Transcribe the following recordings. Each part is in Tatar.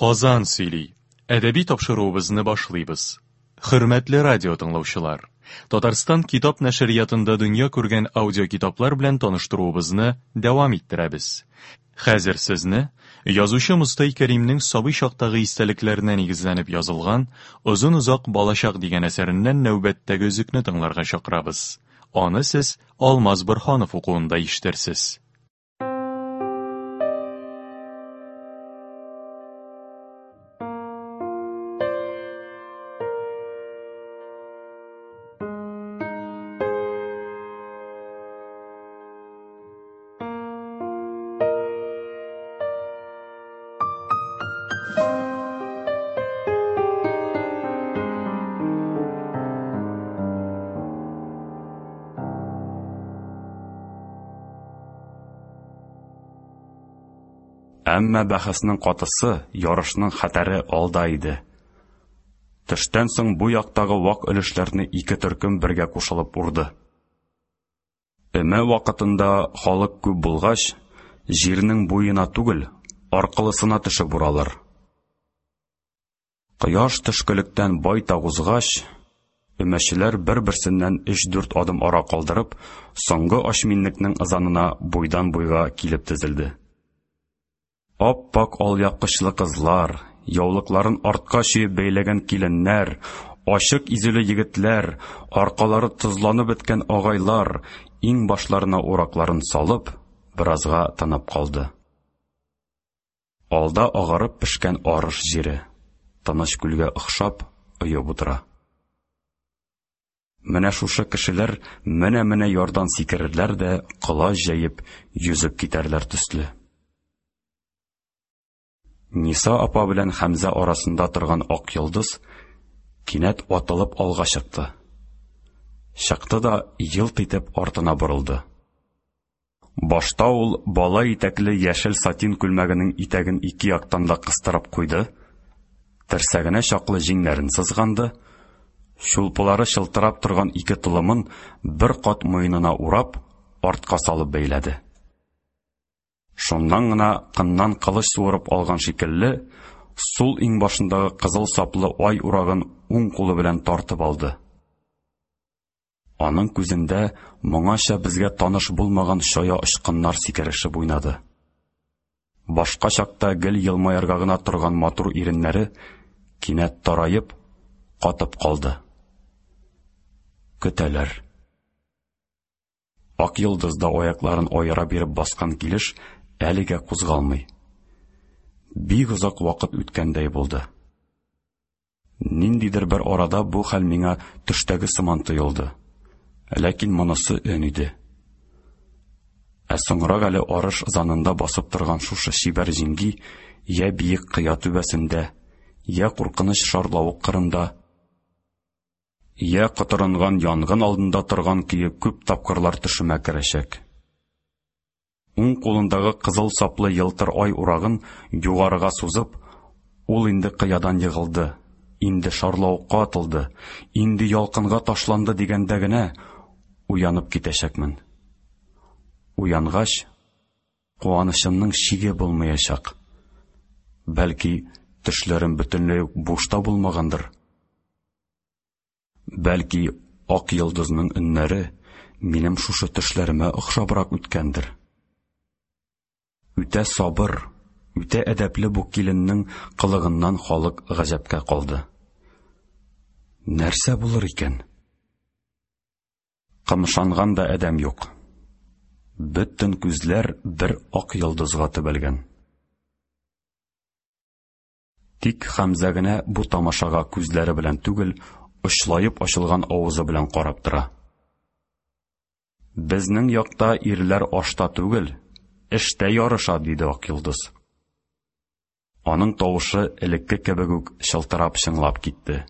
Казан сөйли. Әдәби тапшыруыбызны башлыйбыз. Хөрмәтле радио тыңлаучылар, Татарстан китап нәшриятында дөнья күргән аудиокитаплар белән таныштыруыбызны дәвам иттерәбез. Хәзер сезне язучы Мостай Кәримнең сабый чактагы истәлекләренә нигезләнеп язылган Озын-озак балачак дигән әсәреннән нәүбәттәге өзекне тыңларга чакырабыз. Аны сез Алмаз Борһанов укуында ишетерсез. Әмма бәхәснең катысы, ярышның хәтәре алда иде. Төштән соң бу яктагы вак өлешләрне ике төркем бергә кушылып урды. Өмә вакытында халык күп булгач, җирнең буена түгел, аркылысына төшеп уралар. Кояш төшкелектән байтак узгач, өмәчеләр бер-берсеннән өч-дүрт адым ара калдырып, соңгы ашминнекнең ызанына буйдан-буйга килеп тезелде. Ап-ак алъяпкычлы кызлар, яулыкларын артка чөеп бәйләгән киленнәр, ачык изүле егетләр, аркалары тозланып беткән агайлар, иң башларына уракларын салып, беразга тынып калды. Алда агарып пешкән арыш җире, тыныч күлгә охшап, оеп утыра. Менә шушы кешеләр менә-менә ярдан сикерерләр дә, колач җәеп, йөзеп китәрләр төсле. Ниса апа белән Хәмзә арасында торган ак йолдыз кинәт атылып алга чыкты. Чыкты да елт итеп артына борылды. Башта ул бала итәкле яшел сатин күлмәгенең итәген ике яктан да кыстырып куйды, терсәгенә чаклы җиңнәрен сызганды, чулпылары чылтырап торган ике толымын бер кат муенына урап, артка салып бәйләде. Шуннан гына кыннан кылыч суырып алган шикелле, сул иңбашындагы кызыл саплы ай урагын уң кулы белән тартып алды. Аның күзендә моңача безгә таныш булмаган чая очкыннар сикерешеп уйнады. Башка чакта гел елмаерга гына торган матур иреннәре кинәт тараеп, катып калды. Көтәләр. Ак йолдыз да аякларын аера биреп баскан килеш әлегә кузгалмый. Бик озак вакыт үткәндәй булды. Ниндидер бер арада бу хәл миңа төштәге сыман тоелды. Ләкин монысы өн иде. Ә соңрак әле арыш ызанында басып торган шушы чибәр җиңги я биек кыя түбәсендә, я куркыныч шарлавык кырында, Я котырынган янгын алдында торган көе күп тапкырлар төшемә керәчәк. Уң кулындагы кызыл саплы елтыр ай урагын югарыга сузып, ул инде кыядан егылды, инде шарлавыкка атылды, инде ялкынга ташланды дигәндә генә уянып китәчәкмен. Уянгач, куанычымның чиге булмаячак. Бәлки, төшләрем бөтенләй үк бушта булмагандыр. Бәлки, ак йолдызның өннәре минем шушы төшләремә охшабрак үткәндер. Үтә сабыр, үтә әдәпле бу киленнең кылыгыннан халык гаҗәпкә калды. Нәрсә булыр икән? Кымшанган да адәм юк. Бөтен күзләр бер ак йолдызга төбәлгән. Тик Хәмзә генә бу тамашага күзләре белән түгел, очлаеп ачылган авызы белән карап тора. Безнең якта ирләр ашта түгел, эштә ярыша, диде Акйолдыз. Аның тавышы элекке кебек үк чылтырап чыңлап китте.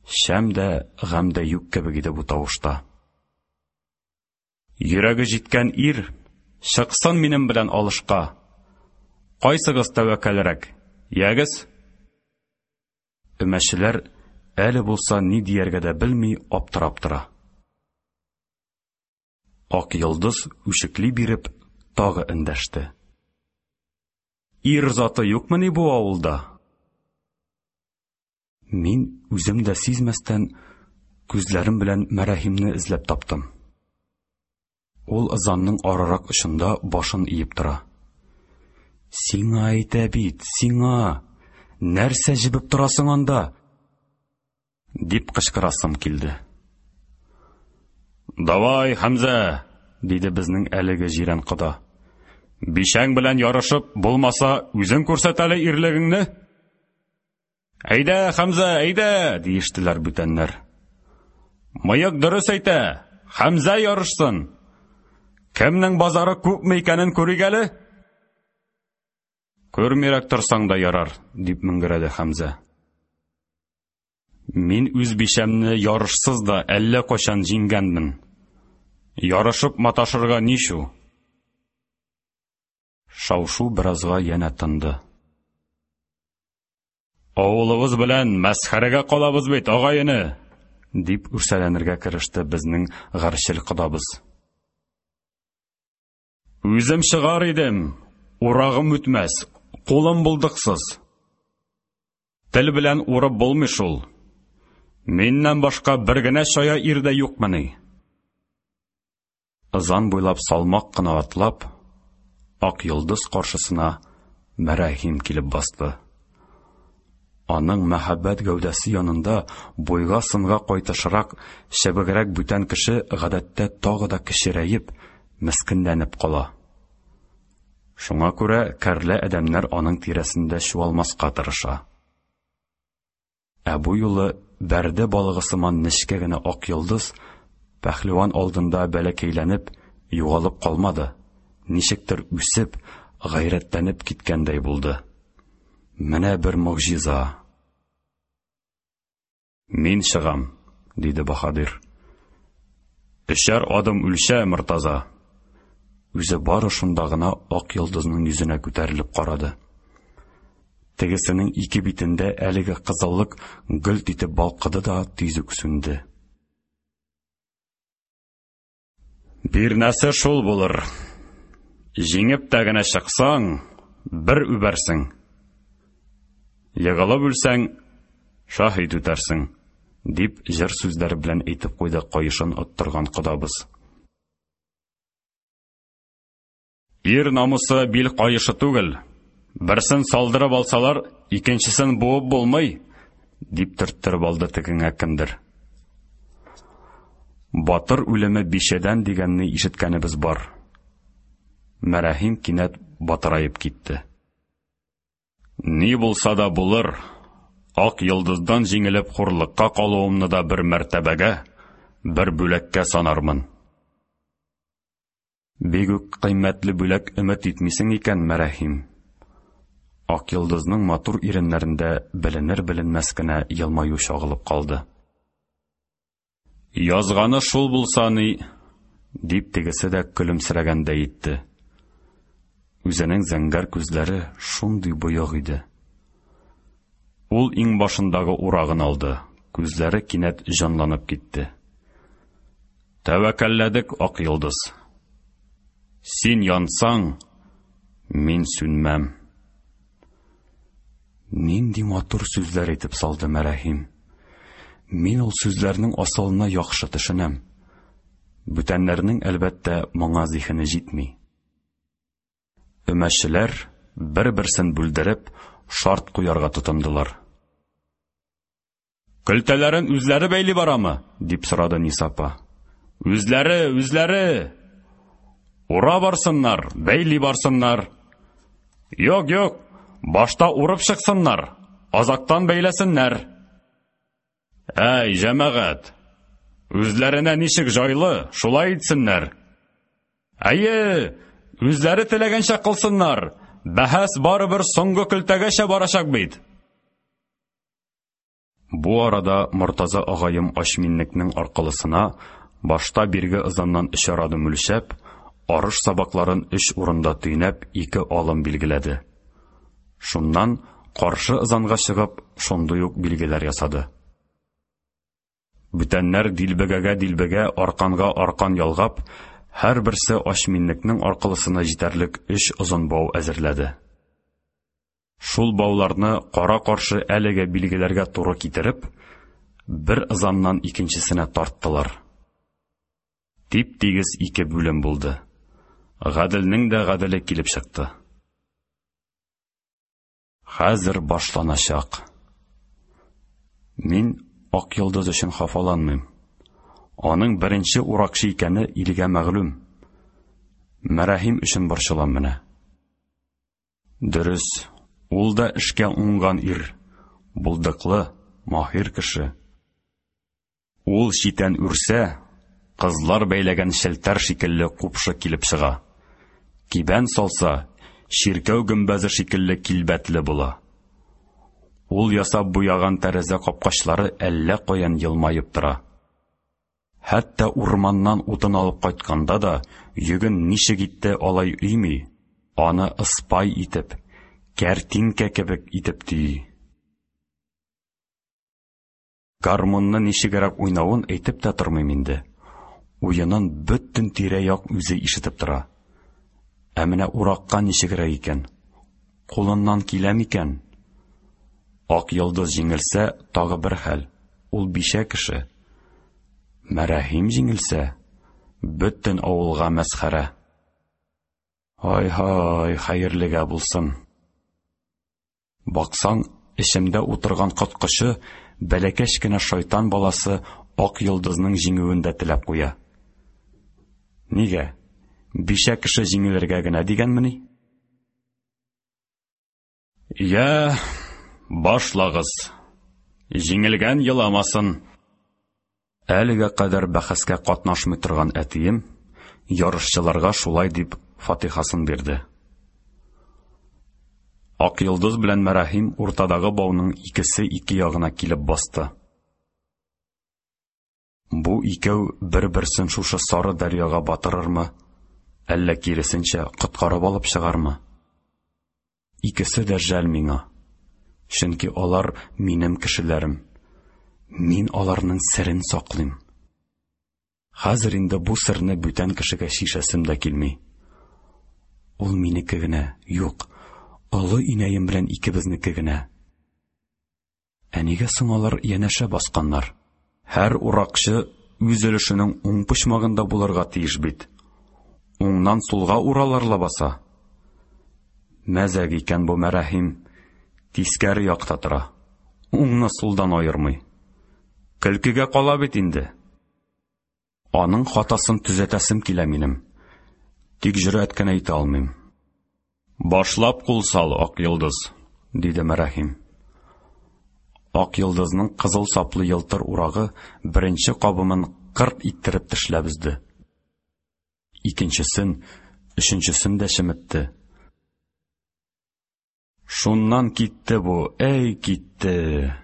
Шәм дә, гамь дә юк кебек иде бу тавышта. Йөрәге җиткән ир, чыксын минем белән алышка. Кайсыгыз тәвәккәлрәк? Ягез. Өмәчеләр әле булса ни дияргә дә белми аптырап тора. Ак йолдыз үчекли биреп тагы эндәште. Ир заты юкмыни бу авылда? Мин үзем дә сизмәстән күзләрем белән Мәрәһимне эзләп таптым. Ул ызанның арырак очында башын иеп тора. Сиңа әйтә бит, сиңа! Нәрсә җебеп торасың анда? Дип кычкырасым килде. Давай, Хәмзә, диде безнең әлеге җирән кода. Бишәң белән ярышып, булмаса, үзең күрсәт әле ирлегеңне. Әйдә, Хәмзә, әйдә, диештеләр бүтәннәр. Мыек дөрес әйтә, Хәмзә ярышсын. Кемнең базары күпме икәнен күрик әле. Күрмирәк торсаң да ярар, дип мөңгерәде Хәмзә. Мин үз бичәмне ярышсыз да әллә кайчан җиңгәнмен. Ярышып маташырга ничу? Шау-шу беразга янә тынды. Авылыбыз белән мәсхәрәгә калабыз бит, агай-эне, дип үрсәләнергә кереште безнең гарчел кодабыз. Үзем чыгар идем, урагым үтмәс, кулым булдыксыз. Тел белән урып булмый шул. Миннән башка бер генә чая ир дә юкмыни? Ызан буйлап салмак кына атлап, Ак йолдыз каршысына Мәрәһим килеп басты. Аның мәһабәт гәүдәсе янында буйга-сынга кайтышрак, чебегрәк бүтән кеше гадәттә тагы да кечерәеп, мескенләнеп кала. Шуңа күрә кәрлә адәмнәр аның тирәсендә чуалмаска тырыша. Ә бу юлы бәрде балыгы сыман нечкә генә ак йолдыз пәһлеван алдында бәләкәйләнеп, югалып калмады, ничектер үсеп, гайрәтләнеп киткәндәй булды. Менә бер могҗиза. Мин чыгам, диде Баһадир. Өчәр адым үлчә, Мортаза. Үзе бары шунда гына ак йолдызның йөзенә күтәрелеп карады. Тегесенең ике битендә әлеге кызыллык гөлт итеп балкыды да тиз үк сүнде. Бирнәсе шул булыр. Җиңеп тә генә чыксаң, бер үбәрсең. Егылып үлсәң, шаһит үтәрсең, дип җыр сүзләре белән әйтеп куйды каешын оттырган кодабыз. Ир намусы бил каешы түгел. Берсен салдырып алсалар, икенчесен буып булмый, дип төрттереп алды тегеңә кемдер. Батыр үлеме бишәдән дигәнне ишеткәнебез бар. Мәрәһим кинәт батыраеп китте. Ни булса да булыр, ак йолдыздан җиңелеп хурлыкка калуымны да бер мәртәбәгә, бер бүләккә санармын. Бик үк кыйммәтле бүләк өмет итмисең икән, Мәрәһим. Ак йолдызның матур иреннәрендә беленер-беленмәс кенә елмаю чагылып калды. Язганы шул булса ни, дип тегесе дә көлемсерәгәндәй итте. Үзенең зәңгәр күзләре шундый боек иде. Ул иңбашындагы урагын алды, күзләре кинәт җанланып китте. Тәвәккәлләдек, Ак йолдыз. Син янсаң, мин сүнмәм. Нинди матур сүзләр әйтеп салды Мәрәһим. Мин ул сүзләрнең асылына яхшы төшенәм. Бүтәннәрнең, әлбәттә, моңа зиһене җитми. Өмәчеләр, бер-берсен бүлдереп, шарт куярга тотындылар. Көлтәләрен үзләре бәйли барамы? дип сорады Ниса апа. Үзләре, үзләре! Ура барсыннар, бәйли барсыннар. Юк, юк, башта урып чыксыннар, азактан бәйләсеннәр. Әй, җәмәгать, үзләренә ничек җайлы, шулай итсеннәр. Әйе, үзләре теләгәнчә кылсыннар. Бәхәс барыбер соңгы көлтәгәчә барачак бит. Бу арада Мортаза агаем Ачминнекнең аркылысына башта бирге ызаннан өчәр адым үлчәп, арыш сабакларын өч урында төйнәп ике алым билгеләде. Шуннан каршы ызанга чыгып, шундый ук билгеләр ясады. Бүтәннәр дилбегәгә дилбегә, арканга аркан ялгап, һәрберсе Ачминнекнең аркылысына җитәрлек өч озын бау әзерләде. Шул бауларны кара-каршы әлеге билгеләргә туры китереп, бер ызаннан икенчесенә тарттылар. Тип-тигез ике бүлем булды. Гаделнең дә гаделе килеп чыкты. Хәзер башланачак. Мин Ак Йолдыз өчен хафаланмыйм. Аның беренче уракчы икәне илгә мәгълүм. Мәрәһим өчен борчылам менә. Дөрес, ул да эшкә уңган ир, булдыклы, маһир кеше. Ул читән үрсә, кызлар бәйләгән челтәр шикелле купшы килеп чыга. Кибән салса, чиркәү гөмбәзе шикелле килбәтле була. Ул ясап буяган тәрәзә капкачлары әллә каян елмаеп тора. Хәтта урманнан утын алып кайтканда да йөген ничек итте алай өйми, аны ыспай итеп, кәртинкә кебек итеп төйи. Гармунны ничегрәк уйнавын әйтеп тә тормыйм инде. Уенын бөтен тирә-як үзе ишетеп тора. Ә менә уракка ничегрәк икән? Кулыннан килә микән? Ак йолдыз җиңелсә, тагы бер хәл. Ул бичә кеше. Мәрәһим җиңелсә, бөтен авылга мәсхәрә. Ай-һай, хәерлегә булсын. Баксаң, эчемдә утырган коткычы, бәләкәч кенә шайтан баласы Ак йолдызның җиңүен дә теләп куя. Нигә? Бичә кеше җиңелергә генә дигәнмени? Я, башлагыз. Җиңелгән еламасын. Әлегә кадәр бәхәскә катнашмый торган әтием ярышчыларга шулай дип фатихасын бирде. Ак Йолдыз белән Мәрәһим уртадагы бауның икесе ике ягына килеп басты. Бу икәү бер-берсен шушы сары дәрьяга батырырмы, әллә киресенчә коткарып алып чыгармы? Икесе дә жәл миңа. Чөнки алар минем кешеләрем. Мин аларның серен саклыйм. Хәзер инде бу серне бүтән кешегә чишәсем дә килми. Ул минеке генә, юк, олы инәем белән икебезнеке генә. Ә нигә соң алар янәшә басканнар? Һәр уракчы үз өлешенең уң почмагында булырга тиеш бит. Уңнан сулга уралар лабаса. Мәзәк икән бу Мәрәһим. Тискәре якта тора. Уңны сулдан аермый. Көлкегә кала бит инде. Аның хатасын төзәтәсем килә минем. Тик җөрьәт кенә итә алмыйм. Башлап кул сал, Ак Йолдыз, диде Мәрәһим. Ак Йолдызның кызыл саплы елтыр урагы беренче кабымын кырт иттереп тешләп өзде. Икенчесен, өченчесен дә чеметте. Шуннан китте бу, әй китте.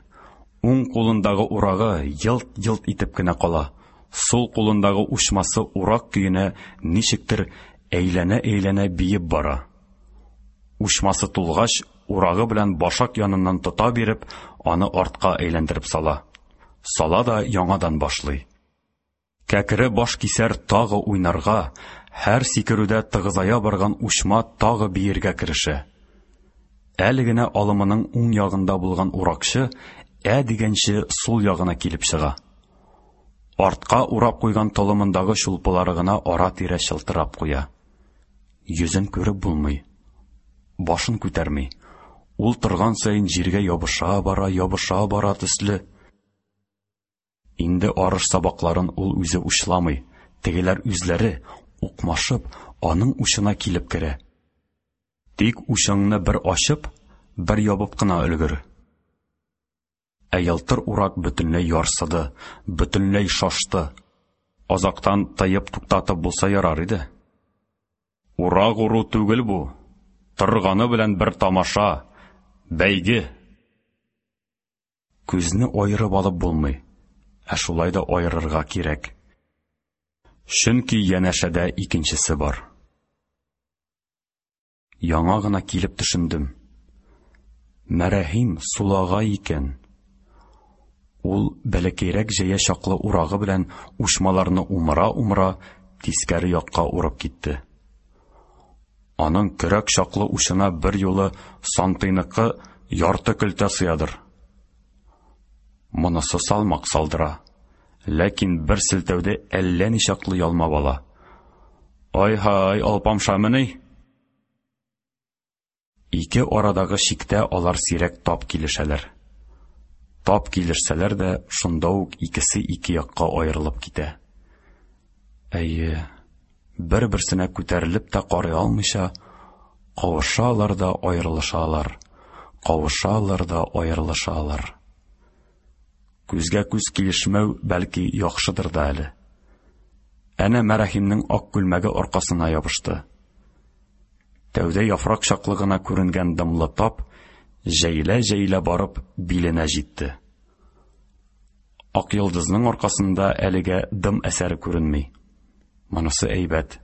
Уң кулындагы урагы елт-елт итеп кенә кала. Сул кулындагы учмасы урак көенә ничектер әйләнә-әйләнә биеп бара. Учмасы тулгач, урагы белән башак яныннан тота биреп, аны артка әйләндереп сала. Сала да яңадан башлый. Кәкре баш кисәр тагы уйнарга, һәр сикерүдә тыгызая барган учма тагы биергә керешә. Әле генә алымының уң ягында булган уракчы ә дигәнче сул ягына килеп чыга. Артка урап куйган толымындагы чулпылары гына ара-тирә чылтырап куя. Йөзен күреп булмый. Башын күтәрми. Ул торган саен җиргә ябыша бара, ябыша бара төсле. Инде арыш сабакларын ул үзе учламый, тегеләр үзләре, укмашып, аның учына килеп керә. Тик учыңны бер ачып, бер ябып кына өлгер. Ә елтыр урак бөтенләй ярсыды, бөтенләй шашты. Азактан тыеп туктатып булса ярар иде. Урак уру түгел бу, торганы белән бер тамаша, бәйге. Күзне аерып алып булмый, ә шулай да аерырга кирәк. Чөнки янәшәдә икенчесе бар. Яңа гына килеп төшендем. Мәрәһим сулагай икән. Ул бәләкәйрәк җәя чаклы урагы белән учмаларны умыра-умыра тискәре якка урып китте. Аның көрәк чаклы учына бер юлы сантыйныкы ярты көлтә сыядыр. Монысы салмак салдыра. Ләкин бер селтәүдә әллә ничаклы ялмап ала. Ай-һай, алпамшамыни? Ике арадагы чиктә алар сирәк тап килешәләр. Тап килешсәләр дә, шунда ук икесе ике якка аерылып китә. Әйе, бер-берсенә күтәрелеп тә карый алмыйча, кавышалар да аерылышалар, кавышалар да аерылышалар. Күзгә күз килешмәү бәлки яхшыдыр да әле. Әнә Мәрәхимнең ак күлмәге аркасына ябышты. Тәүдә яфрак чаклы гына күренгән дымлы тап җәелә-җәелә барып биленә җитте. Ак йолдызның аркасында әлегә дым әсәре күренми. Монысы әйбәт.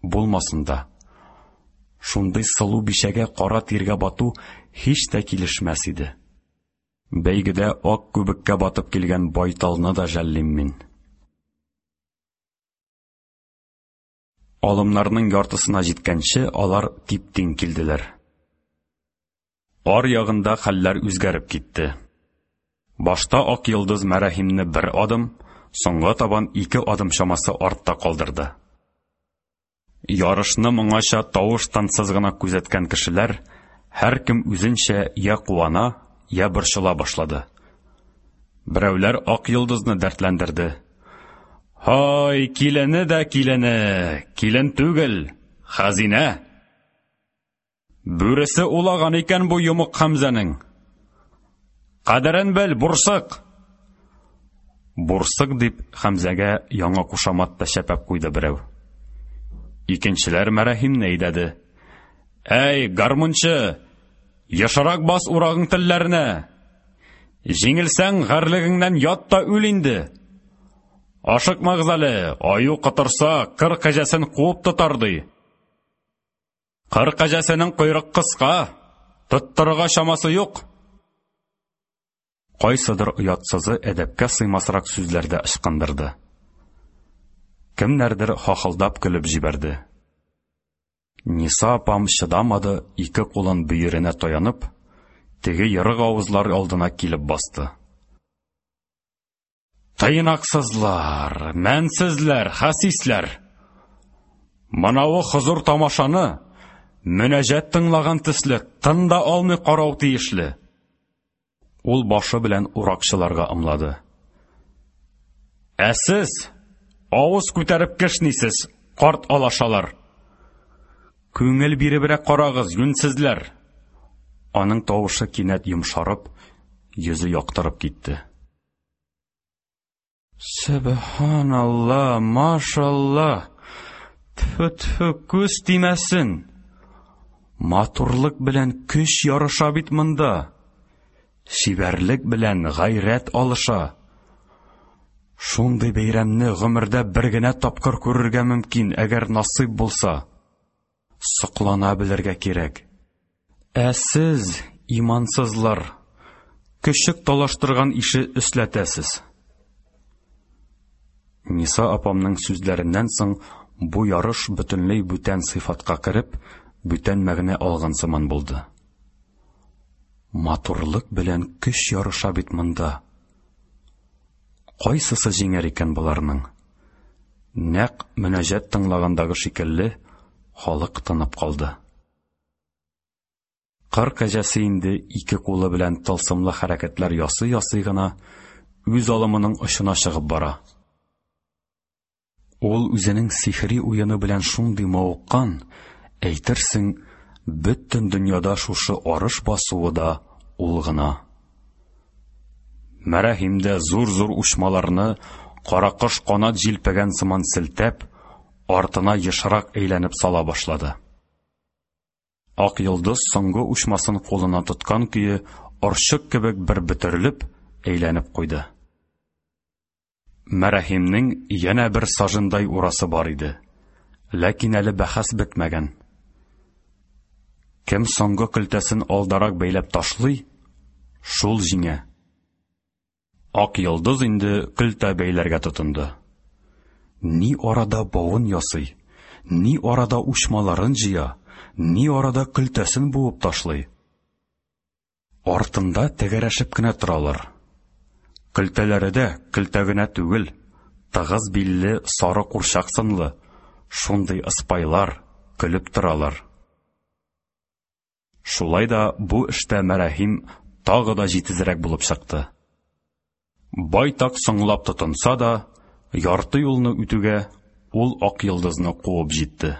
Булмасын да. Шундый сылу бичәгә кара тиргә бату һич тә килешмәс иде. Бәйгедә ак күбеккә батып килгән байталны да жәллим мин. Алымнарның яртысына җиткәнче алар тип-тиң килделәр. Ар ягында хәлләр үзгәреп китте. Башта Ак йолдыз Мәрәһимне бер адым, соңга табан ике адым чамасы артта калдырды. Ярышны моңача тавыш-тынсыз гына күзәткән кешеләр һәркем үзенчә я куана, я борчыла башлады. Берәүләр Ак йолдызны дәртләндерде. Һай, килене дә килене, килен түгел, хәзинә! Бүресе улаган икән бу йомык Хәмзәнең. Кадерен бел, бурсык! Бурсык дип Хәмзәгә яңа кушамат та чәпәп куйды берәү. Икенчеләр Мәрәһимне әйдәде. Әй, гармунчы, ешрак бас урагың телләренә. Җиңелсәң, гарьлегеңнән ят та үл инде. Ашыкмагыз әле, аю котырса, кыр кәҗәсен куып тотар ди. Кыр кәҗәсенең койрык кыска, тоттырырга чамасы юк. Кайсыдыр оятсызы әдәпкә сыймасрак сүзләр дә ычкындырды. Кемнәрдер хахылдап көлеп җибәрде. Ниса апам чыдамады, ике кулын бөеренә таянып, теге ерык авызлар алдына килеп басты. Тыйнаксызлар, мәнсезләр, хәсисләр! Монавы хозур тамашаны, мөнәҗәт тыңлаган төсле, тын да алмый карау тиешле. Ул башы белән уракчыларга ымлады. Ә сез авыз күтәреп кешнисез, карт алашалар. Күңел биребрәк карагыз, юньсезләр. Аның тавышы кинәт йомшарып, йөзе яктырып китте. Сөбханалла, машалла! Тфү-тфү, күз тимәсен! Матурлык белән көч ярыша бит монда. Чибәрлек белән гайрәт алыша. Шундый бәйрәмне гомердә бер генә тапкыр күрергә мөмкин, әгәр насыйп булса. Соклана белергә кирәк. Ә сез, имансызлар, көчек талаштырган ише өсләтәсез. Ниса апамның сүзләреннән соң бу ярыш бөтенләй бүтән сыйфатка кереп, бүтән мәгънә алган сыман булды. Матурлык белән көч ярыша бит монда. Кайсысы җиңәр икән боларның? Нәкъ мөнәҗәт тыңлагандагы шикелле, халык тынып калды. Кыр кәҗәсе инде ике кулы белән тылсымлы хәрәкәтләр ясый-ясый гына үз алымының очына чыгып бара. Ул үзенең сихри уены белән шундый мавыккан, әйтерсең, бөтен дөньяда шушы арыш басуы да ул гына. Мәрәһим дә зур-зур учмаларны каракош канат җилпегән сыман селтәп, артына ешрак әйләнеп сала башлады. Ак йолдыз соңгы учмасын кулына тоткан көе орчык кебек бер бөтерелеп, әйләнеп куйды. Мәрәһимнең янә бер сажындай урасы бар иде. Ләкин әле бәхәс бетмәгән. Кем соңгы көлтәсен алдарак бәйләп ташлый, шул җиңә. Ак йолдыз инде көлтә бәйләргә тотынды. Ни арада бавын ясый, Ни арада учмаларын җыя, ни арада көлтәсен буып ташлый. Артында тәгәрәшеп кенә торалар. Көлтәләре дә көлтә генә түгел, тыгыз билле сары курчак сынлы, шундый ыспайлар, көлеп торалар. Шулай да бу эштә Мәрәһим тагы да җитезрәк булып чыкты. Байтак соңлап тотынса да, ярты юлны үтүгә, ул Ак йолдызны куып җитте.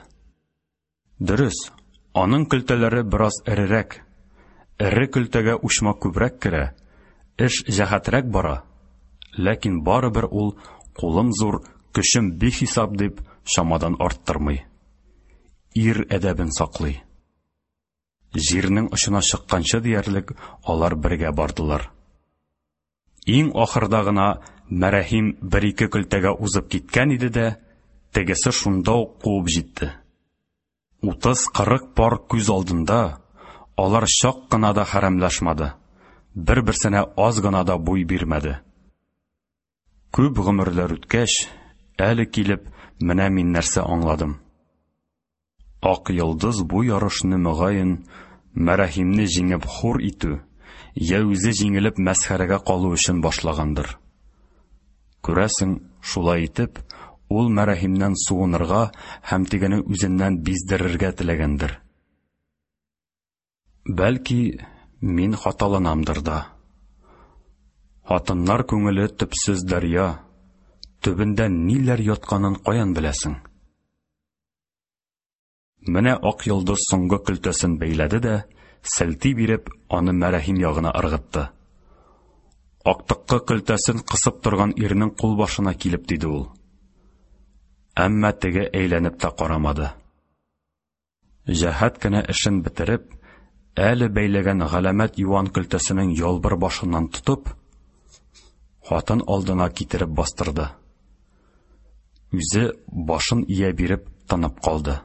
Дөрес, аның көлтәләре бераз эрерәк. Эре көлтәгә учма күбрәк керә, эш җәһәтрәк бара. Ләкин барыбер ул кулым зур, көчем бихисап дип, чамадан арттырмый. Ир әдәбен саклый. Җирнең очына чыкканчы диярлек алар бергә бардылар. Иң ахырда гына Мәрәһим бер-ике көлтәгә узып киткән иде дә, тегесе шунда ук куып җитте. Утыз-кырык пар күз алдында алар чак кына да хәрәмләшмады, бер-берсенә аз гына да буй бирмәде. Күп гомерләр үткәч, әле килеп, менә мин нәрсә аңладым. Ак йолдыз бу ярышны, мөгаен, Мәрәһимне җиңеп хур итү, йә үзе җиңелеп мәсхәрәгә калу өчен башлагандыр. Күрәсең, шулай итеп, ул Мәрәһимнән суынырга һәм тегене үзеннән биздерергә теләгәндер. Бәлки, мин хаталанамдыр да. Хатыннар күңеле төпсез дәрья, төбендә ниләр ятканын каян беләсең? Менә Ак йолдыз соңгы көлтәсен бәйләде дә, селти биреп, аны Мәрәһим ягына ыргытты. Актыккы көлтәсен кысып торган ирнең кулбашына килеп тиде ул. Әмма теге әйләнеп тә карамады. Җәһәт кенә эшен бетереп, әле бәйләгән галәмәт юан көлтәсенең ялбыр башыннан тотып, хатын алдына китереп бастырды. Үзе башын ия биреп тынып калды.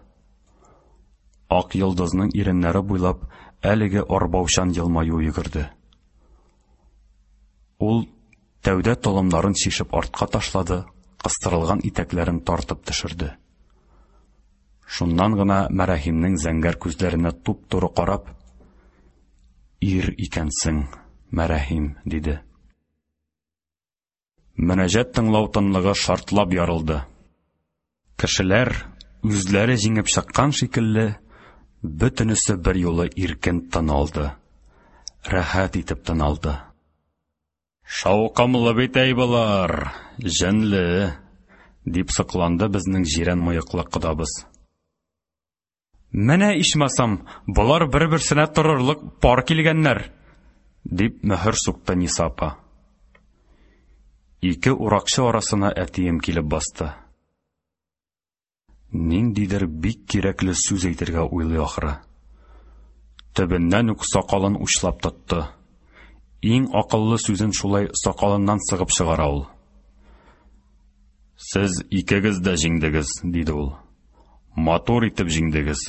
Ак йолдызның иреннәре буйлап әлеге арбаучан елмаю йөгерде. Ул тәүдә толымнарын чишеп артка ташлады, кыстырылган итәкләрен тартып төшерде. Шуннан гына Мәрәһимнең зәңгәр күзләренә туп-туры карап, «Ир икәнсең, Мәрәһим», диде. Мөнәҗәт тыңлау тынлыгы шартлап ярылды. Кешеләр, үзләре җиңеп чыккан шикелле, бөтенесе берьюлы иркен тын алды. Рәхәт итеп тын алды. Шаукымлы бит әй болар, җенле, дип сокланды безнең җирән мыеклы кодабыз. Менә ичмасам, болар бер-берсенә торырлык пар килгәннәр, дип мөһер сукты Ниса апа. Ике уракчы арасына әтием килеп басты. Ниндидер бик кирәкле сүз әйтергә уйлый ахры. Төбеннән үк сакалын учлап тотты. Иң акыллы сүзен шулай сакалыннан сыгып чыгара ул. Сез икегез дә җиңдегез, диде ул. Матур итеп җиңдегез.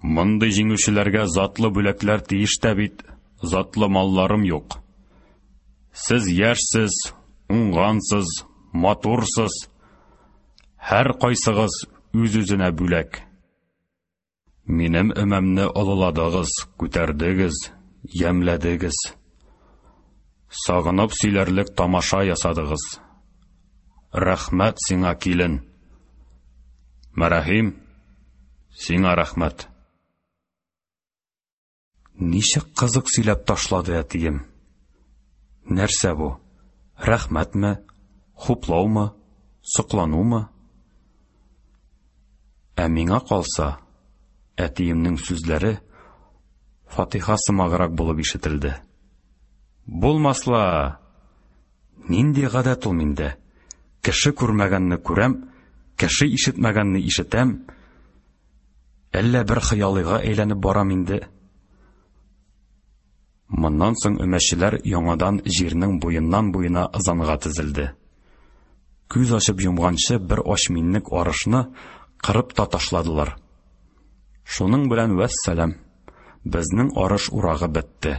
Мондый җиңүчеләргә затлы бүләкләр тиеш тә бит, затлы малларым юк. Сез яшьсез, уңгансыз, матурсыз. Һәр кайсыгыз үз-үзенә бүләк. Минем өмәмне олыладыгыз, күтәрдегез, ямьләдегез. Сагынып сөйләрлек тамаша ясадыгыз. Рәхмәт сиңа, килен. Мәрәһим, сиңа рәхмәт. Ничек кызык сөйләп ташлады әтием. Нәрсә бу? Рәхмәтме? Хуплаумы? Сокланумы? Ә миңа калса, әтиемнең сүзләре фатиха сымаграк булып ишетелде. Булмас ла! Нинди гадәт ул миндә? Кеше күрмәгәнне күрәм, кеше ишетмәгәнне ишетәм. Әллә бер хыялыйга әйләнеп барам инде. Моннан соң өмәчеләр яңадан җирнең буеннан-буена ызанга тезелде. Күз ачып йомганчы бер ач миннек арышны кырып та ташладылар. Шуның белән вәссәлам, безнең арыш урагы бетте.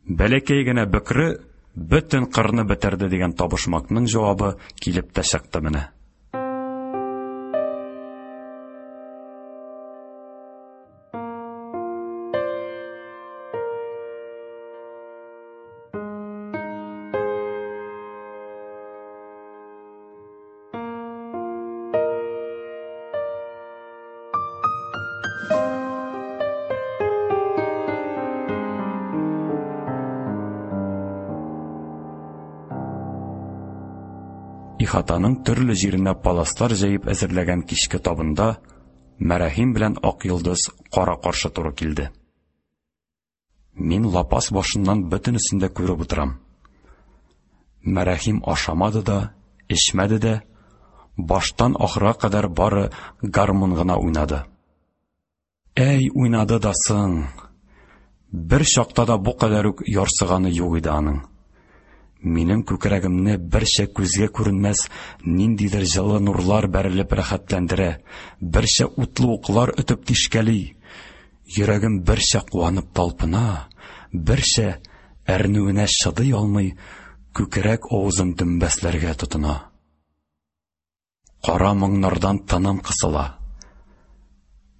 Бәләкәй генә бөкре бөтен кырны бетерде дигән табышмакның җавабы килеп тә чыкты менә. Ихатаның төрле җиренә паласлар җәеп әзерләгән кичке табында Мәрәһим белән Ак Йолдыз кара-каршы туры килде. Мин лапас башыннан бөтенесен дә күреп утырам. Мәрәһим ашамады да, эчмәде дә, баштан ахырга кадәр бары гармун гына уйнады. Әй, уйнады да соң! Бер чакта да бу кадәр үк ярсыганы юк иде аның. Минем күкрәгемне берчә күзгә күренмәс ниндидер җылы нурлар бәрелеп рәхәтләндерә, берчә утлы уклар өтеп тишкәли. Йөрәгем берчә куанып талпына, берчә әрнүенә чыдый алмый, күкрәк авызын дөмбәсләргә тотына. Кара моңнардан тыным кысыла.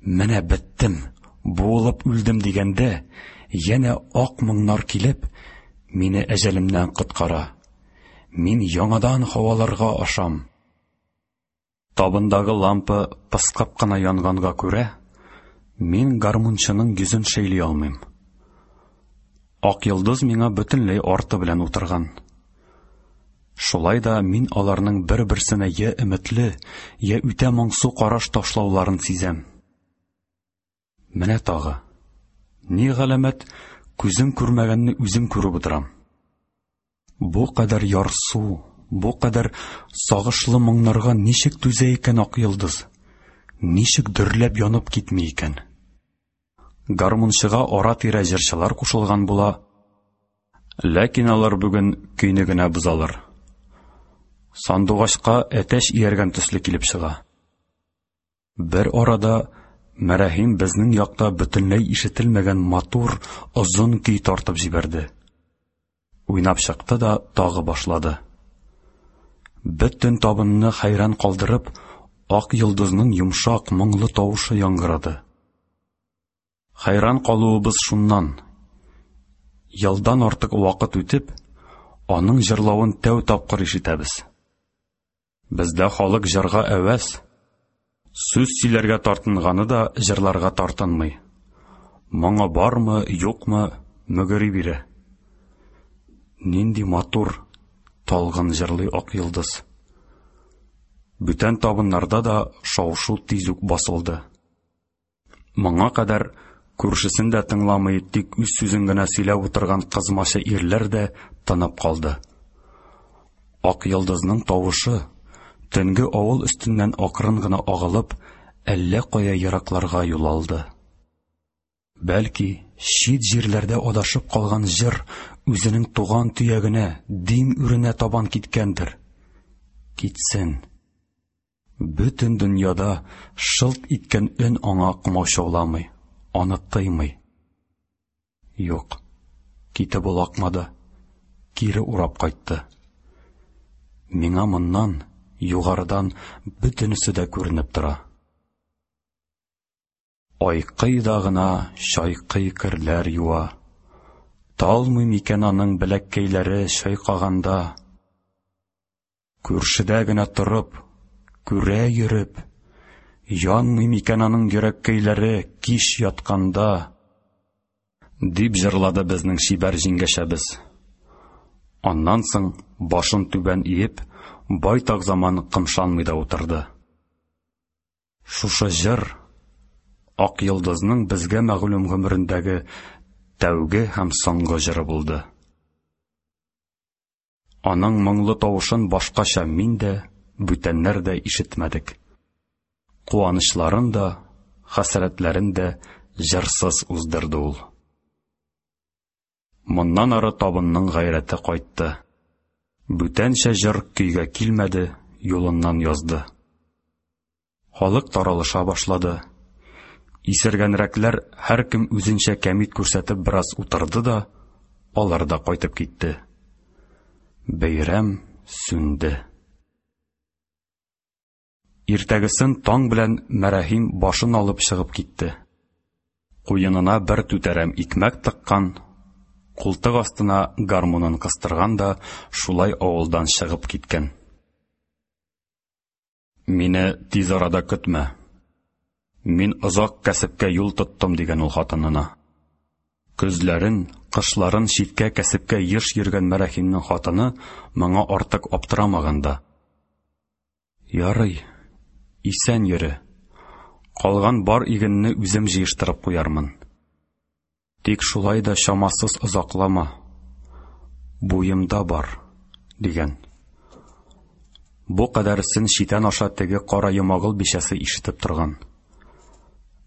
Менә беттем, буылып үлдем дигәндә, янә ак моңнар килеп, мине әҗәлемнән коткара. Мин яңадан һаваларга ашам. Табындагы лампа пыскып кына янганга күрә, мин гармунчының йөзен шәйли алмыйм. Ак йолдыз миңа бөтенләй арты белән утырган. Шулай да мин аларның бер-берсенә я өметле, я үтә моңсу караш ташлауларын сизәм. Менә тагы. Ни галәмәт, күзем күрмәгәнне үзем күреп утырам. Бу кадәр ярсу, бу кадәр сагышлы моңнарга ничек түзә икән Ак йолдыз? Ничек дөрләп янып китми икән? Гармунчыга ара-тирә җырчылар кушылган була, ләкин алар бүген көйне генә бозалар. Сандугачка әтәч ияргән төсле килеп чыга. Бер арада Мәрәһим безнең якта бөтенләй ишетелмәгән матур, озын көй тартып җибәрде. Уйнап чыкты да тагы башлады. Бөтен табынны хәйран калдырып, Ак йолдызның йомшак, моңлы тавышы яңгырады. Хәйран калуыбыз шуннан. Елдан артык вакыт үтеп, аның җырлавын тәү тапкыр ишетәбез. Бездә халык җырга әвәс. Сүз сөйләргә тартынганы да җырларга тартынмый. Моңы бармы, юкмы, мөгери бирә. Нинди матур, талгын җырлый Ак йолдыз. Бүтән табыннарда да шау-шу тиз үк басылды. Моңа кадәр күршесен дә тыңламый, тик үз сүзен генә сөйләп утырган кызмача ирләр дә тынып калды. Ак йолдызның тавышы, төнге авыл өстеннән акрын гына агылып, әллә кая еракларга юл алды. Бәлки, чит җирләрдә адашып калган җыр үзенең туган төягенә, дим үренә табан киткәндер. Китсен. Бөтен дөньяда шылт иткән өн аңа комачауламый, аны тыймый. Юк, китеп ул акмады, кире урап кайтты. Миңа моннан, югарыдан бөтенесе дә күренеп тора. Айкый да гына чайкый керләр юа. Талмый микән аның беләккәйләре чайкаганда? Күршедә генә торып, күрә йөреп, янмый микән аның йөрәккәйләре кич ятканда? Дип җырлады безнең чибәр җиңгәчәбез. Аннан соң, башын түбән иеп, байтак заман кымшанмый да утырды. Шушы җыр Ак йолдызның безгә мәгълүм гомерендәге тәүге һәм соңгы җыры булды. Аның моңлы тавышын башкача мин дә, бүтәннәр дә ишетмәдек. Куанычларын да, хәсрәтләрен дә җырсыз уздырды ул. Моннан ары табынның гайрәте кайтты. Бүтәнчә җыр көйгә килмәде, юлыннан язды. Халык таралыша башлады. Исергәнрәкләр һәркем үзенчә кәмит күрсәтеп бераз утырды да, алар да кайтып китте. Бәйрәм сүнде. Иртәгесен таң белән Мәрәһим башын алып чыгып китте. Куенына бер түтәрәм икмәк тыккан, култык астына гармунын кыстырган да шулай авылдан чыгып киткән. Мине тиз арада көтмә. Мин озак кәсепкә юл тоттым, дигән ул хатынына. Көзләрен, кышларын читкә кәсепкә еш йөргән Мәрәхимнең хатыны моңа артык аптырамаган да. Ярый, исән йөре. Калган бар игенне үзем җыештырып куярмын. Тик шулай да чамасыз озаклама. Буемда бар, дигән. Бу кадәресен читән аша теге кара Йомагыл бичәсе ишетеп торган.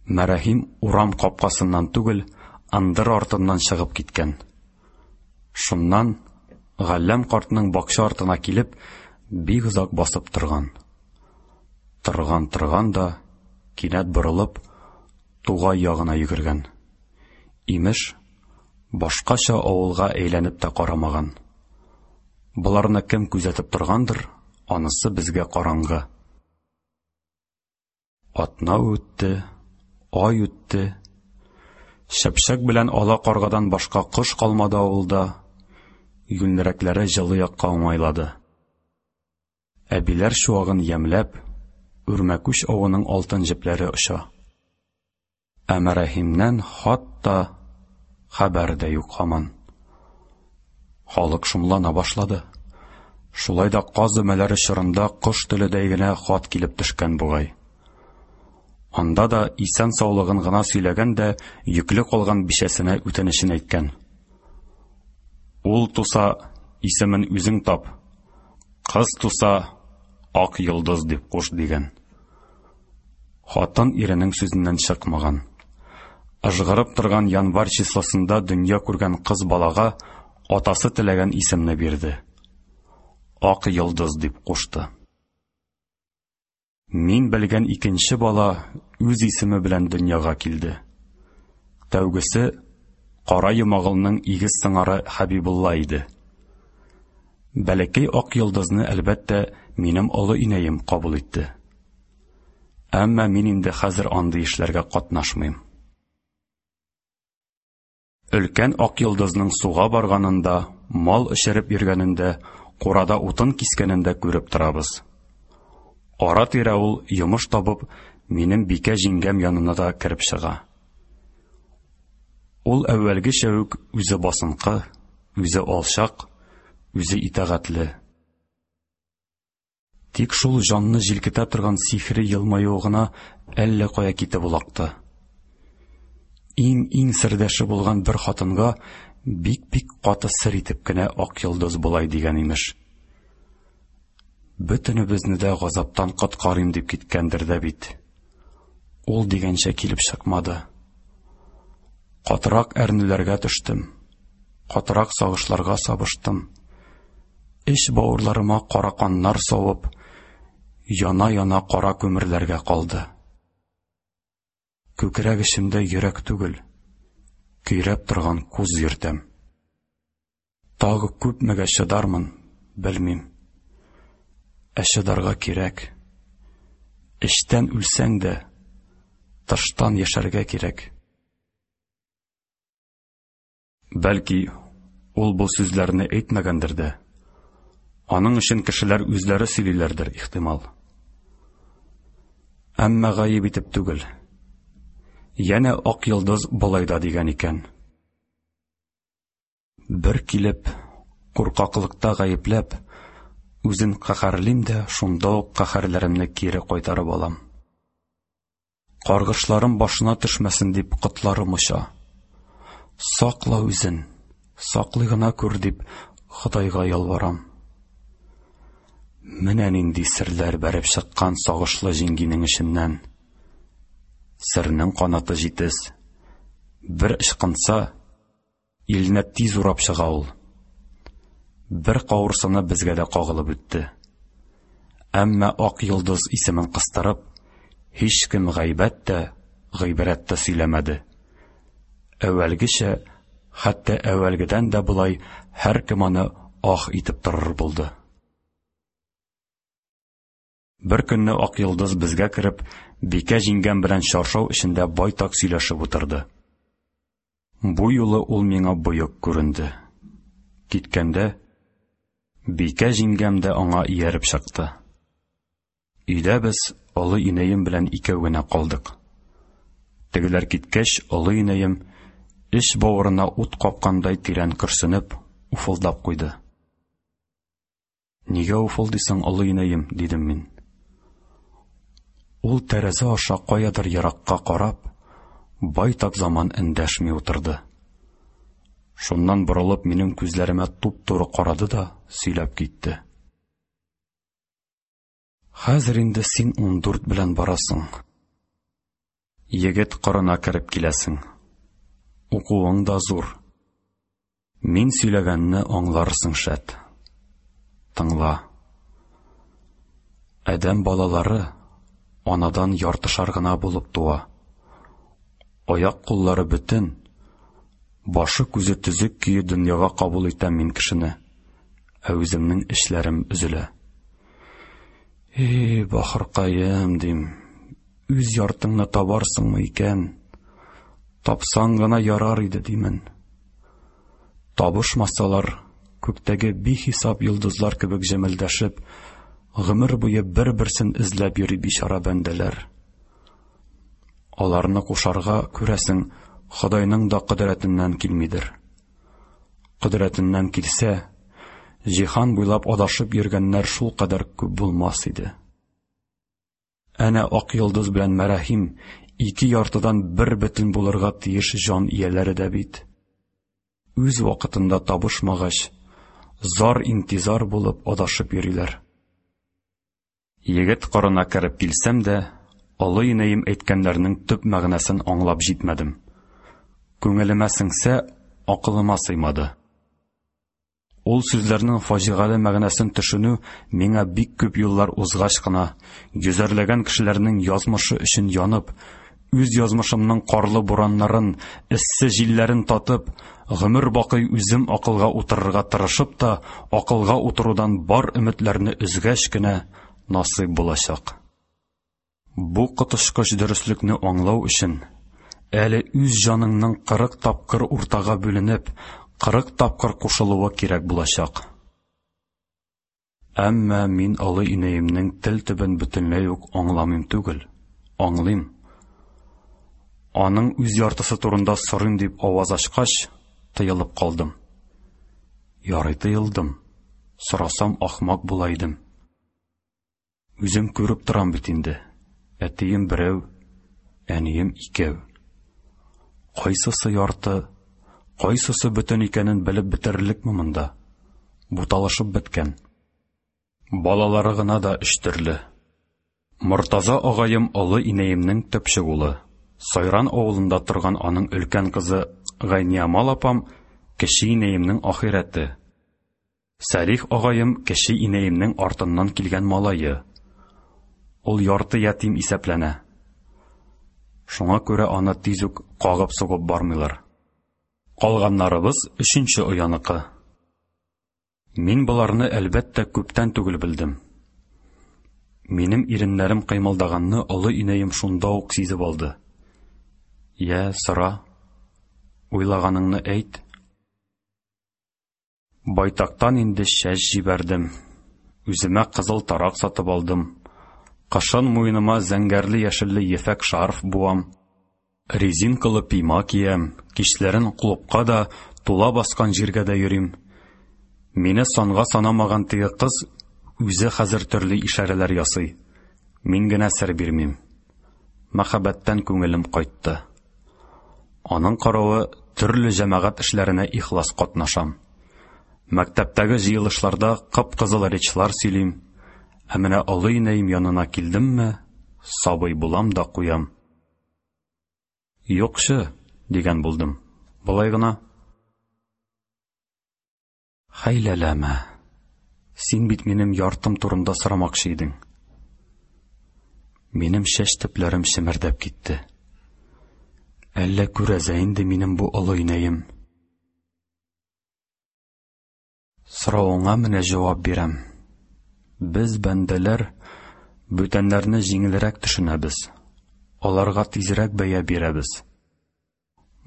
Мәрәһим урам капкасыннан түгел, ындыр артыннан чыгып киткән. Шуннан Галләм картның бакча артына килеп, бик озак басып торган. Торган-торган да, кинәт борылып, тугай ягына йөгергән. Имеш, башкача авылга әйләнеп тә карамаган. Боларны кем күзәтеп торгандыр, анысы безгә караңгы. Атна үтте, ай үтте. Чыпчык белән ала каргадан башка кош калмады авылда. Юньлерәкләре җылы якка уңайлады. Әбиләр чуагын ямьләп, үрмәкүч авының алтын җепләре оча. Ә Мәрәһимнән хат та, хәбәр дә юк һаман. Халык шомлана башлады. Шулай да каз өмәләре чорында кош теледәй генә хат килеп төшкән бугай. Анда да исән-саулыгын гына сөйләгән дә йөкле калган бичәсенә үтенечен әйткән. Ул туса, исемен үзең тап. Кыз туса, Ак йолдыз дип куш дигән. Хатын иренең сүзеннән чыкмаган. Ыжгырып торган январь числосында дөнья күргән кыз балага атасы теләгән исемне бирде. Ак йолдыз дип кушты. Мин белгән икенче бала үз исеме белән дөньяга килде. Тәүгесе Кара Йомагылның игез сыңары Хәбибулла иде. Бәләкәй Ак йолдызны, әлбәттә, минем олы инәем кабул итте. Әмма мин инде хәзер андый эшләргә катнашмыйм. Өлкән Ак йолдызның суга барганын да, мал эчереп йөргәнен дә, курада утын кискәнен дә күреп торабыз. Ара-тирә ул, йомыш табып, минем Бикә җиңгәм янына да кереп чыга. Ул әүвәлгечә үк үзе басынкы, үзе алчак, үзе итагатьле. Тик шул җанны җилкетә торган сихри елмаюы гына әллә кая китеп олакты. Иң-иң сердәше булган бер хатынга бик-бик каты сер итеп кенә Ак йолдыз болай дигән имеш. Бөтенебезне дә газаптан коткарыйм дип киткәндер дә бит. Ул дигәнчә килеп чыкмады. Катырак әрнүләргә төштем. Катырак сагышларга сабыштым. Эч бавырларыма кара каннар савып, яна-яна кара күмерләргә калды. Күкрәк эчемдә йөрәк түгел, көйрәп торган куз йөртәм. Тагы күпмегә чыдармын, белмим. Ә чыдарга кирәк. Эчтән үлсәң дә, тыштан яшәргә кирәк. Бәлки, ул бу сүзләрне әйтмәгәндер дә. Аның өчен кешеләр үзләре сөйлиләрдер, ихтимал. Әмма гаеп итеп түгел. Янә Ак йолдыз болай да дигән икән. Бер килеп, куркаклыкта гаепләп, үзен каһәрлим дә, шунда ук каһәрләремне кире кайтарып алам. Каргышларым башына төшмәсен дип котларым оча. Сакла үзен, саклый гына күр дип Ходайга ялварам. Менә нинди серләр бәреп чыккан сагышлы җиңгинең эченнән. Сернең канаты җитез. Бер ычкынса, Илне тиз урап чыга ул. Бер кавырсыны безгә дә кагылып үтте. Әмма Ак йолдыз исемен кыстырып, һичкем гайбәт тә, гыйбрәт тә сөйләмәде. Әүвәлгечә, хәтта әүвәлгедән дә болай һәркем аны ах итеп торыр булды. Бер көнне Ак йолдыз безгә кереп, Бикә җиңгәм белән чаршау эчендә байтак сөйләшеп утырды. Бу юлы ул миңа боек күренде. Киткәндә, Бикә җиңгәм дә аңа ияреп чыкты. Өйдә без олы инәем белән икәү генә калдык. Тегеләр киткәч, олы инәем, эч-бавырына ут капкандай тирән көрсенеп, уфылдап куйды. Нигә уфылдыйсың, олы инәем? дидем мин. Ул тәрәзә аша каядыр еракка карап, байтак заман эндәшми утырды. Шуннан борылып минем күзләремә туп-туры карады да сөйләп китте. Хәзер инде син 14 белән барасың. Егет корына кереп киләсең. Укуың да зур. Мин сөйләгәнне аңларсың, шәт. Тыңла. Адәм балалары анадан яртышар гына булып туа. Аяк-куллары бөтен, башы-күзе төзек көе дөньяга кабул итәм мин кешене, ә үземнең эшләрем өзелә. Эй, бахыркаем, дим, үз яртыңны табарсыңмы икән? Тапсаң гына ярар иде, димен. Табышмасалар, күктәге бихисап йолдызлар кебек җемелдәшеп, гомер буе бер-берсен эзләп йөри бичара бәндәләр. Аларны кушарга, күрәсең, Ходайның да кодрәтеннән килмидер. Кодрәтеннән килсә, җиһан буйлап адашып йөргәннәр шулкадәр күп булмас иде. Әнә Ак йолдыз белән Мәрәһим ике яртыдан бер бөтен булырга тиеш җан ияләре дә бит. Үз вакытында табышмагач, зар-интизар булып адашып йөриләр. Егет карына кереп килсәм дә, олы инәем әйткәннәрнең төп мәгънәсен аңлап җитмәдем. Күңелемә сеңсә, акылыма сыймады. Ул сүзләрнең фаҗигале мәгънәсен төшенү миңа бик күп юллар узгач кына, йөзәрләгән кешеләрнең язмышы өчен янып, үз язмышымның карлы бураннарын, эссе җилләрен татып, гомер бакый үзем акылга утырырга тырышып та, акылга утырудан бар өметләрне өзгәч кенә насыйп булачак. Бу коточкыч дөреслекне аңлау өчен әле үз җаныңның 40 тапкыр уртага бүленеп, 40 тапкыр кушылуы кирәк булачак. Әмма мин олы инәемнең тел төбен бөтенләй үк аңламыйм түгел, аңлыйм. Аның үз яртысы турында сорыйм дип аваз ачкач, тыелып калдым. Ярый тыелдым. Сорасам ахмак була идем. Үзем күреп торам бит инде. Әтием берәү, әнием икәү. Кайсысы ярты, кайсысы бөтен икәнен белеп бетерерлекме монда? Буталышып беткән. Балалары гына да өч төрле. Мортаза агаем олы инәемнең төпчек улы. Сайран авылында торган аның өлкән кызы Гайниямал апам кече инәемнең ахирәте. Сәлих агаем кече инәемнең артыннан килгән малае. Ул ярты ятим исәпләнә. Шуңа күрә аны тиз үк кагып-сугып бармыйлар. Калганнарыбыз өченче ояныкы. Мин боларны, әлбәттә, күптән түгел белдем. Минем иреннәрем кыймылдаганны олы инәем шунда ук сизеп алды. Йә, сора. Уйлаганыңны әйт. Байтактан инде чәч җибәрдем. Үземә кызыл тарак сатып алдым. Кышын муеныма зәңгәрле-яшелле ефәк шарф буам. Резинкалы пима киям, кичләрен клубка да, тула баскан җиргә дә йөрим. Мине санга санамаган теге кыз үзе хәзер төрле ишарәләр ясый. Мин генә сер бирмим. Мәхәббәттән күңелем кайтты. Аның каравы төрле җәмәгать эшләренә ихлас катнашам. Мәктәптәге җыелышларда кып-кызыл речьлар сөйлим. Ә менә олы инәем янына килдемме, сабый булам да куям. Юкчы, дигән булдым. Болай гына. Хәйләләмә. Син бит минем яртым турында сорамакчы идең. Минем чәч төпләрем чемердәп китте. Әллә күрәзә инде минем бу олы инәем. Соравыңа менә җавап бирәм. Без, бәндәләр, бүтәннәрне җиңелрәк төшенәбез. Аларга тизрәк бәя бирәбез.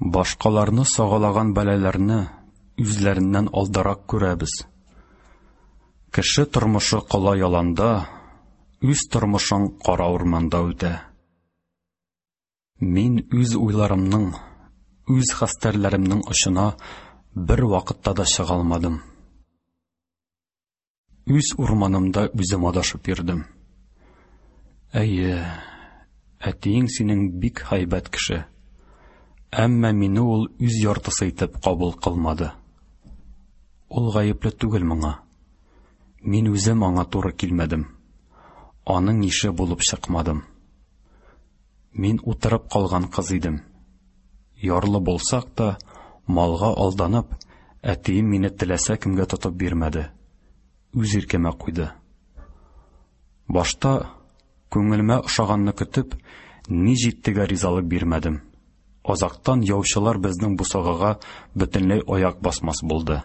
Башкаларны сагалаган бәлаләрне үзләреннән алдарак күрәбез. Кеше тормышы кола яланда, үз тормышың кара урманда үтә. Мин үз уйларымның, үз хәстәрләремнең очына бер вакытта да чыга алмадым. Үз урманымда үзем адашып йөрдем. Әйе, Әтиең синең бик һәйбәт кеше. Әмма мине ул үз яртысы итеп кабул кылмады. Ул гаепле түгел моңа. Мин үзем аңа туры килмәдем. Аның ише булып чыкмадым. Мин утырып калган кыз идем. Ярлы булсак та, малга алданып, әтием мине теләсә кемгә тотып бирмәде. Үз иркемә куйды. Башта, күңелемә ошаганны көтеп, ни җиттегә ризалык бирмәдем. Азактан яучылар безнең бусагага бөтенләй аяк басмас булды.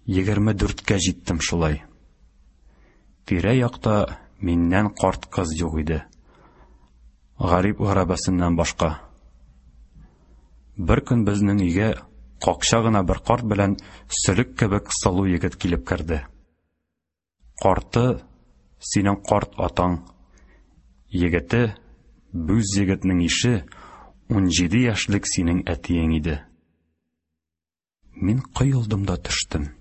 24-кә җиттем шулай. Тирә-якта миннән карт кыз юк иде. Гарип гәрәбәсеннән башка. Бер көн безнең өйгә какча гына бер карт белән сөлек кебек сылу егет килеп керде. Карты синең карт атаң. Егете, бүз егетнең ише, 17 яшьлек синең әтиең иде. Мин коелдым да төштем.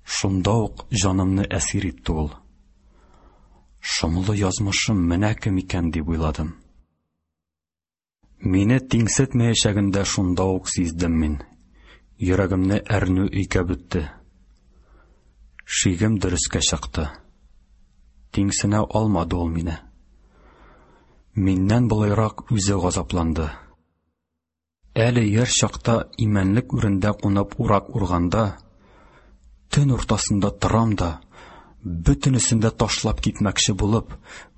Шунда ук җанымны әсир итте ул. Шомлы язмышым менә кем икән дип уйладым. Мине тиңсетмәячәген дә шунда ук сиздем мин. Йөрәгемне әрнү өйкәп үтте. Шигем дөрескә чыкты. Тиңсенә алмады ул мине. Миннән болайрак үзе газапланды. Әле яшь чакта имәнлек үрендә кунып урак урганда, төн уртасында торам да, бөтенесен дә ташлап китмәкче булып,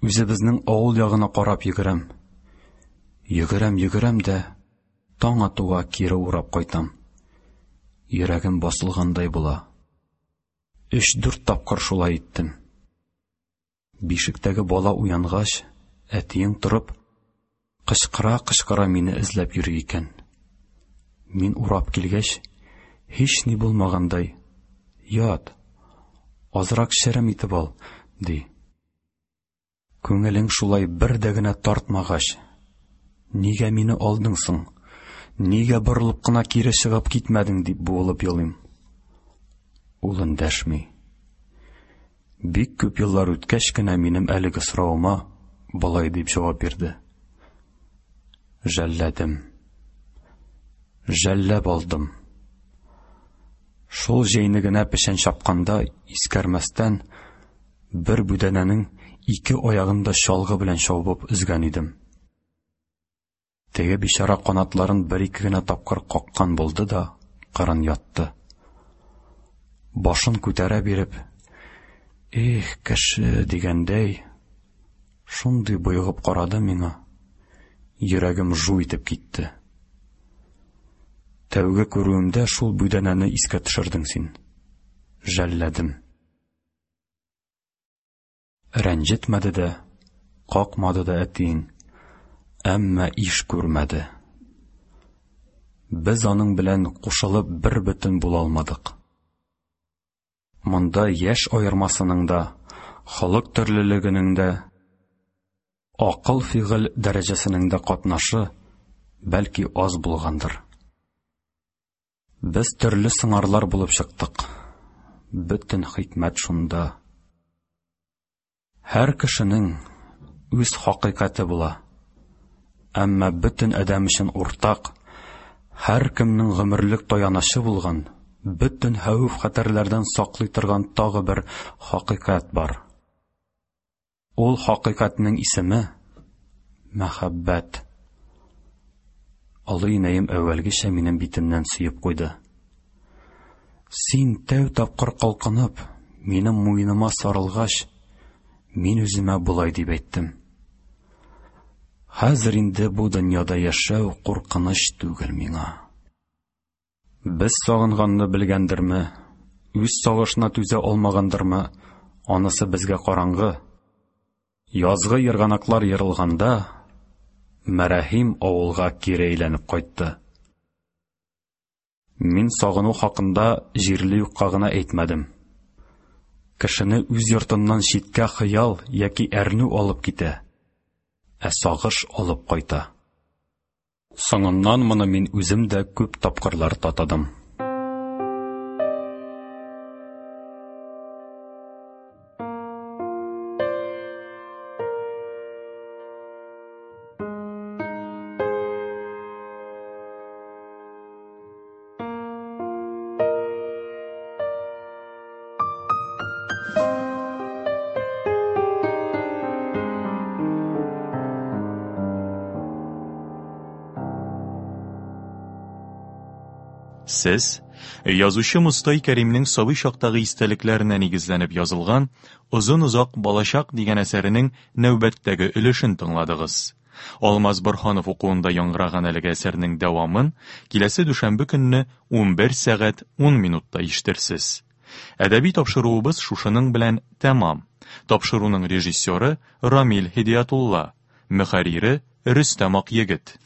үзебезнең авыл ягына карап йөгерәм. Йөгерәм, йөгерәм дә, таң атуга кире урап кайтам. Йөрәгем басылгандай була. Өч-дүрт тапкыр шулай иттем. Бишектәге бала уянгач, әтиең торып, кычкыра-кычкыра мине эзләп йөри икән. Мин урап килгәч, һич ни булмагандай, ят, азрак черем итеп ал, ди. Күңелең шулай бер дә генә тартмагач, нигә мине алдың соң? Нигә борылып кына кире чыгып китмәдең, дип буылып елыйм. Ул эндәшми. Бик күп еллар үткәч кенә минем әлеге соравыма болай дип җавап бирде. Жәлләдем. Жәлләп алдым. Шул җәйне генә печән чапканда искәрмәстән бер бүдәнәнең ике аягын да чалгы белән чабып өзгән идем. Теге бичара канатларын бер-ике генә тапкыр каккан булды да, кырын ятты. Башын күтәрә биреп, "Эх, кеше" дигәндәй, шундый боегып карады миңа. Йөрәгем жу итеп китте. Тәүге күрүемдә шул бүдәнәне искә төшердең син. Жәлләдем. Рәнҗетмәде дә, какмады да әтиең, әмма иш күрмәде. Без аның белән кушылып бер бөтен була алмадык. Монда яшь аермасының да, холык төрлелегенең дә, акыл-фигыль дәрәҗәсенең дә катнашы бәлки аз булгандыр. Без төрле сыңарлар булып чыктык. Бөтен хикмәт шунда. Һәр кешенең үз хакыйкате була. Әмма бөтен адәм өчен уртак, һәркемнең гомерлек таянычы булган, бөтен хәвеф-хәтәрләрдән саклый торган тагы бер хакыйкать бар. Ул хакыйкатьнең исеме мәхәббәт. Олы инәем әүвәлгечә минем битемнән сөеп куйды. Син тәү тапкыр калкынып, минем муеныма сарылгач, мин үземә болай дип әйттем. Хәзер инде бу дөньяда яшәү куркыныч түгел миңа. Без сагынганны белгәндерме, үз сагышына түзә алмагандырмы, анысы безгә караңгы. Язгы ерганаклар ерылганда, Мәрәһим авылга кире әйләнеп кайтты. Мин сагыну хакында җирле юкка гына әйтмәдем. Кешене үз йортыннан читкә хыял яки әрнү алып китә, ә сагыш алып кайта. Соңыннан моны мин үзем дә күп тапкырлар татыдым. Сез язучы Мостай Кәримнең сабый чактагы истәлекләренә нигезләнеп язылган Озын-озак балачак дигән әсәренең нәүбәттәге өлешен тыңладыгыз. Алмаз Борһанов укуында яңгыраган әлеге әсәрнең дәвамын киләсе дүшәмбе көнне 11 сәгать 10 минутта ишетерсез. Әдәби тапшыруыбыз шушының белән тәмам. Тапшыруның режиссеры Рамил Һидиятулла, мөхәррире Рөстәм Акъегет.